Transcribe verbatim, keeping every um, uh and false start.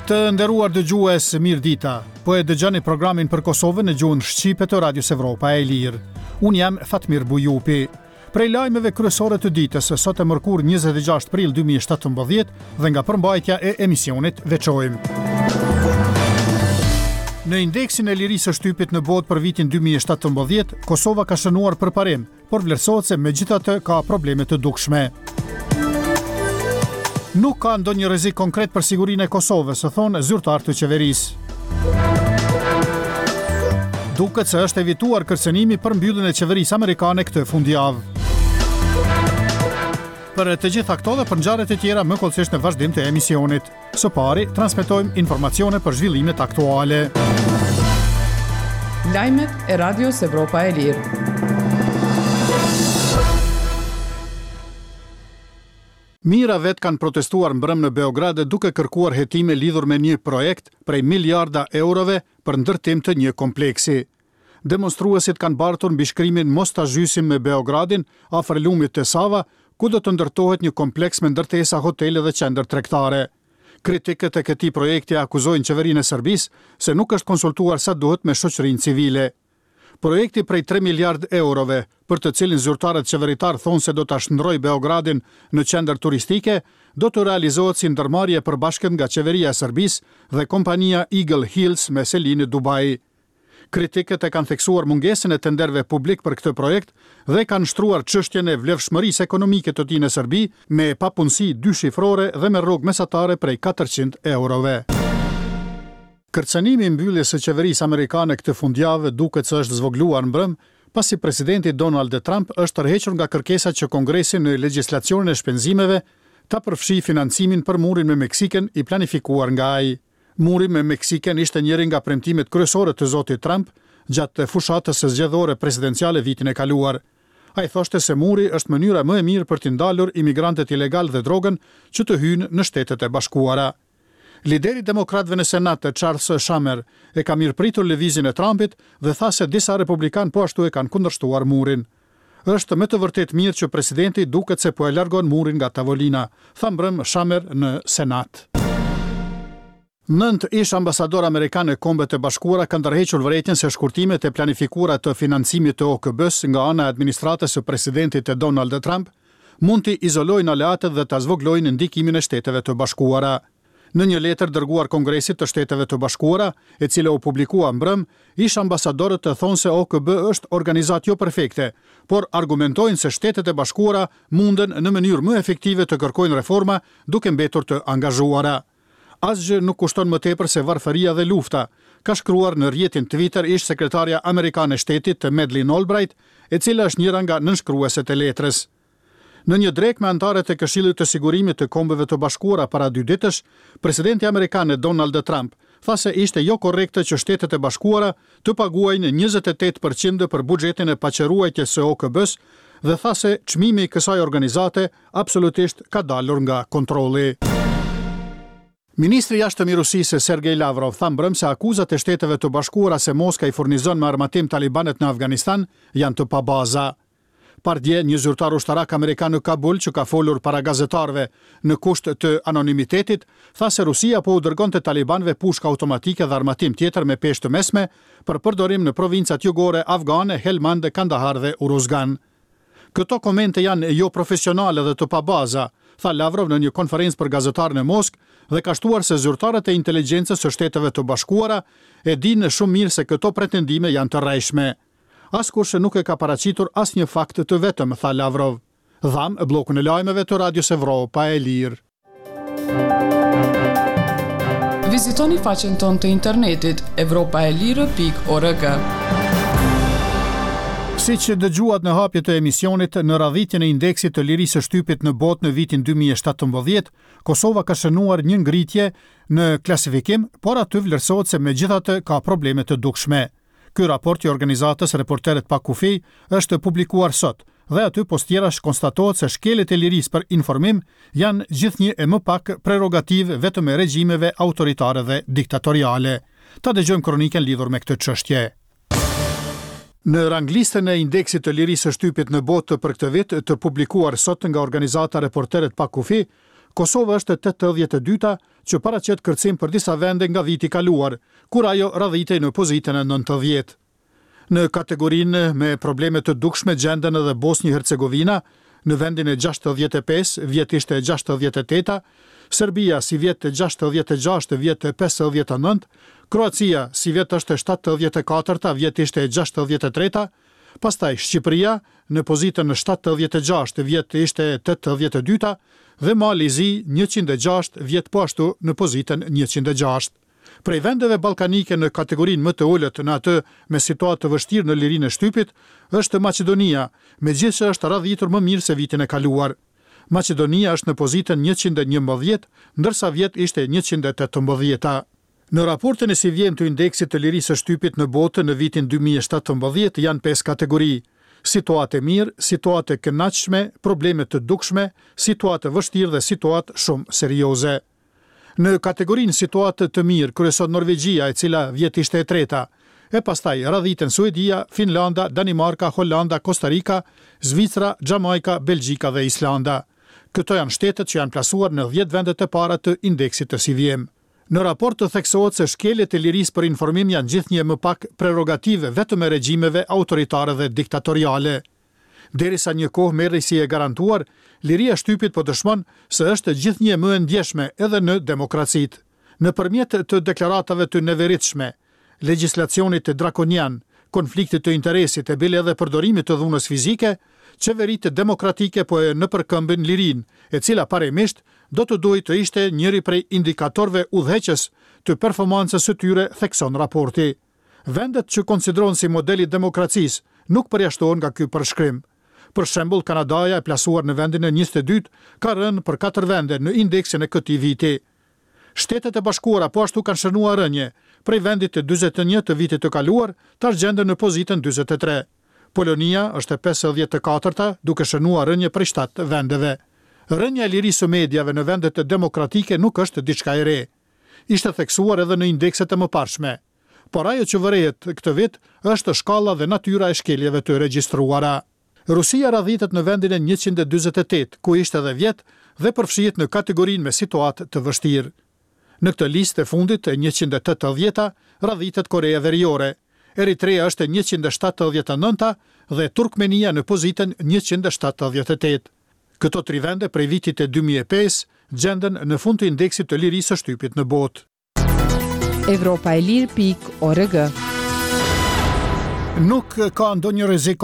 Të nderuar dëgjues, mirë dita. Po e dëgjoni programin për Kosovën në gjuhën shqipe të Radios Evropa e Lirë. Unë jam Fatmir Bujupi. Prej lajmeve kryesore të ditës, sot e mërkur njëzet e gjashtë prill dy mijë e shtatëmbëdhjetë, dhe nga përmbajtja e emisionit veçojmë: Në indeksin e lirisë së shtypit në botë për vitin dy mijë e shtatëmbëdhjetë, Kosova ka shënuar përparim, por vlerësohet se megjithatë ka probleme të dukshme. Nuk ka ndonjë rrezik konkret për sigurinë e Kosovës, thonë zyrtarë të qeverisë. Duket se është evituar kërcënimi për mbylljen e qeverisë amerikane këtë fundjavë. Për të gjitha këto dhe për ngjarjet e tjera më hollësisht në vazhdim të emisionit. Së pari, transmetojmë informacione për zhvillimet aktuale. Lajmet e Radios Evropa e Lirë. Mijëra vetë kanë protestuar mbrëm në Beograd, duke kërkuar hetime lidhur me një projekt prej miliarda eurove për ndërtim të një kompleksi. Demonstruesit kanë bartur mbishkrimin "Mos ta zhysim me Beogradin" afër lumit të Sava, ku do të ndërtohet një kompleks me ndërtesa, hotele dhe qendër tregtare. Kritikët e këtij projekti akuzojnë qeverinë e Serbisë se nuk është konsultuar sa duhet me shoqërinë civile. Projekti prej tre miliard eurove, për të cilin zyrtarët qeveritar thonë se do ta shndërrojë Beogradin në qendër turistike, do të realizohet si ndërmarrje e përbashkët nga qeveria e Serbisë dhe kompania Eagle Hills me seli në Dubai. Kritikët e kanë theksuar mungesën e tenderëve publik për këtë projekt dhe kanë shtruar çështjen e vlefshmërisë ekonomike të tij në Serbi, me papunësi dyshifrore dhe me rrogë mesatare prej katërqind eurove. Kërcënimi i mbylljes së qeverisë amerikane këtë fundjavë duket se është zvogëluar mbrëm, pasi presidenti Donald Trump është tërhequr nga kërkesa që Kongresi në legjislacionin e shpenzimeve ta përfshijë financimin për murin me Meksikën, i planifikuar nga ai. Muri me Meksikën ishte njëri nga premtimet kryesore të zotit Trump gjatë fushatës së zgjedhore presidenciale vitin e kaluar. Ai thoshte se muri është mënyra më e mirë për të ndalur imigrantët ilegal dhe drogën që të hyjnë në Shtetet e Bashkuara. Lideri demokratëve në Senat, Charles Schumer, e ka mirëpritur lëvizjen e Trumpit dhe tha se disa republikan po ashtu e kanë kundërshtuar murin. "Është me të vërtet mirë që presidenti duket se po e largon murin nga tavolina", tha mbrëm Schumer në Senat. Nëntë ish ambasador amerikan në Kombet e Bashkuara kanë tërhequr vërejtjen se shkurtimet e planifikuara të financimit të O K B-s nga ana e administratës së presidentit të Donald Trump mund të izolojnë aleatët dhe ta zvoglojnë ndikimin e Shteteve të Bashkuara. Në një letër dërguar Kongresit të Shteteve të Bashkuara, e cila u publikua mbrëm, ish ambasadorët të thonë se O K B është organizatë jo perfekte, por argumentojnë se Shtetet e Bashkuara munden në mënyrë më efektive të kërkojnë reforma duke mbetur të angazhuara. "Asgjë nuk kushton më tepër se varfëria dhe lufta", ka shkruar në rrjetin Twitter ish sekretarja amerikane e shtetit të Madeleine Albright, e cila është njëra nga nënshkrueset e letrës. Në një drekë me anëtarët e Këshillit të Sigurimit të Kombeve të Bashkuara para dy ditësh, presidenti amerikan Donald Trump tha se ishte jo korrekte që Shtetet e Bashkuara të paguajnë njëzet e tetë për qind për buxhetin e paqeruajtjes së O K B-s dhe tha se çmimi i kësaj organizate absolutisht ka dalur nga kontrolli. Ministri i Jashtëm i Rusisë Sergej Lavrov tha mbrëm se akuzat e Shteteve të Bashkuara se Moska i furnizon me armatim talibanët në Afganistan janë të pabaza. Pardje, një zyrtar ushtarak amerikan në Kabul, që ka folur para gazetarëve në kusht të anonimitetit, tha se Rusia po u dërgonte talibanëve pushka automatike dhe armatim tjetër me peshë të mesme për përdorim në provincat jugore afgane Helmand, Kandahar dhe Uruzgan. "Këto komente janë jo profesionale dhe të pabaza", tha Lavrov në një konferencë për gazetarë në Moskë dhe ka shtuar se zyrtarët e inteligjencës së Shteteve të Bashkuara e dinë shumë mirë se këto pretendime janë të rrejshme. "Askush nuk e ka paraqitur asnjë fakt të vetëm", tha Lavrov. Dham bllokun e lajmeve të Radios Evropa e Lirë. Vizitoni faqen tonë të internetit evropaelire pikë org. Si që dëgjuat në hapje të emisionit, në radhitjen e indeksit të lirisë së shtypit në botë në vitin dy mijë e shtatëmbëdhjetë, Kosova ka shënuar një ngritje në klasifikim, por aty vlerësohet se megjithatë ka probleme të dukshme. Ky raport i organizatës Reporterët pa Kufi është publikuar sot dhe aty pos tjerash konstatohet se shkeljet e lirisë për informim janë gjithnjë e më pak prerogativë vetëm e regjimeve autoritare dhe diktatoriale. Ta dëgjojmë kronikën lidhur me këtë çështje. Në ranglistën e indeksit të lirisë së shtypit në botë për këtë vit, të publikuar sot nga organizata Reporterët pa Kufi, Kosova është e tetëdhjetë e dyta që paraqet kërcim për disa vende nga viti i kaluar, kur ajo radhitej në pozitën e nëntëdhjetë. Në kategorinë me probleme të dukshme gjenden edhe Bosnjë Hercegovina, në vendin e gjashtëdhjetë e pesë, vjet ishte e gjashtëdhjetë e teta, Serbia sivjet e gjashtëdhjetë e gjashtë, vjet e pesëdhjetë e nëntë, Kroacia sivjet është e shtatëdhjetë e katërta, vjet ishte e gjashtëdhjetë e treta, pastaj Shqipëria në pozitën e shtatëdhjetë e gjashtë, vjet ishte e tetëdhjetë e dyta dhe Mali i Zi njëqind e gjashtë, vjet po ashtu në pozitën njëqind e gjashtë. Prej vendeve ballkanike në kategorinë më të ulët në atë me situatë të vështirë në lirinë e shtypit është Maqedonia, megjithëse është radhitur më mirë se vitin e kaluar. Maqedonia është në pozitën njëqind e njëmbëdhjetë, ndërsa vjet ishte njëqind e tetëmbëdhjeta. Në raportin e sivjemë të indeksit të lirisë së shtypit në botë në vitin dy mijë e shtatëmbëdhjetë janë pesë kategori: situatë e mirë, situatë e kënaqshme, probleme të dukshme, situatë e vështirë dhe situatë shumë serioze. Në kategorinë situatë të mirë kryeson Norvegjia, e cila vjet ishte e treta, e pastaj radhiten Suedia, Finlanda, Danimarka, Holanda, Kosta Rika, Zvicra, Xhamajka, Belgjika dhe Islanda. Këto janë shtetet që janë plasuar në dhjetë vendet e para të indeksit të sivjemë. Në raport të theksohet se shkeljet e lirisë për informim janë gjithnjë më pak prerogative vetëm e regjimeve autoritare dhe diktatoriale. Derisa një kohë merrej si e garantuar, liria e shtypit po dëshmon se është gjithnjë më e ndjeshme edhe në demokracitë. Nëpërmjet të deklaratave të neveritshme, legjislacionit drakonian, konfliktit të interesit e bile edhe përdorimit të dhunës fizike, qeveritë demokratike po e nëpërkëmbin lirinë, e cila parimisht do të duhej të ishte njëri prej indikatorëve udhëheqës të performancës së tyre, thekson raporti. Vendet që konsiderohen si modeli i demokracisë nuk përjashtohen nga ky përshkrim. Për shembull, Kanadaja e plasuar në vendin e njëzet e dytë ka rënë për katër vende në indeksin e këtij viti. Shtetet e Bashkuara po ashtu kanë shënuar rënje, prej vendit të dyzet e një të vitit të kaluar, tash gjenden në pozitën dyzet e tre. Polonia është e pesëdhjetë e katërta, duke shënuar rënje prej shtatë vendeve. Rënja e lirisë së mediave në vendet demokratike nuk është diçka e re. Ishte theksuar edhe në indekset e mëparshme. Por ajo që vërehet këtë vit është shkalla dhe natyra e shkeljeve të regjistruara. Rusia radhitet në vendin e njëqind e dyzet e tetë, ku ishte edhe vjet dhe përfshihet në kategorinë me situatë të vështirë. Në këtë listë e fundit e njëqind e tetëdhjeta radhitet Korea Veriore, Eritrea është e njëqind e shtatëdhjetë e nënta dhe Turkmenia në pozitën njëqind e shtatëdhjetë e tetë. Këto tri vende prej vitit të dy mijë e pesë gjenden në fund të indeksit të lirisë së shtypit në botë. Evropa e lirë pikë org. Nuk ka ndonjë rrezik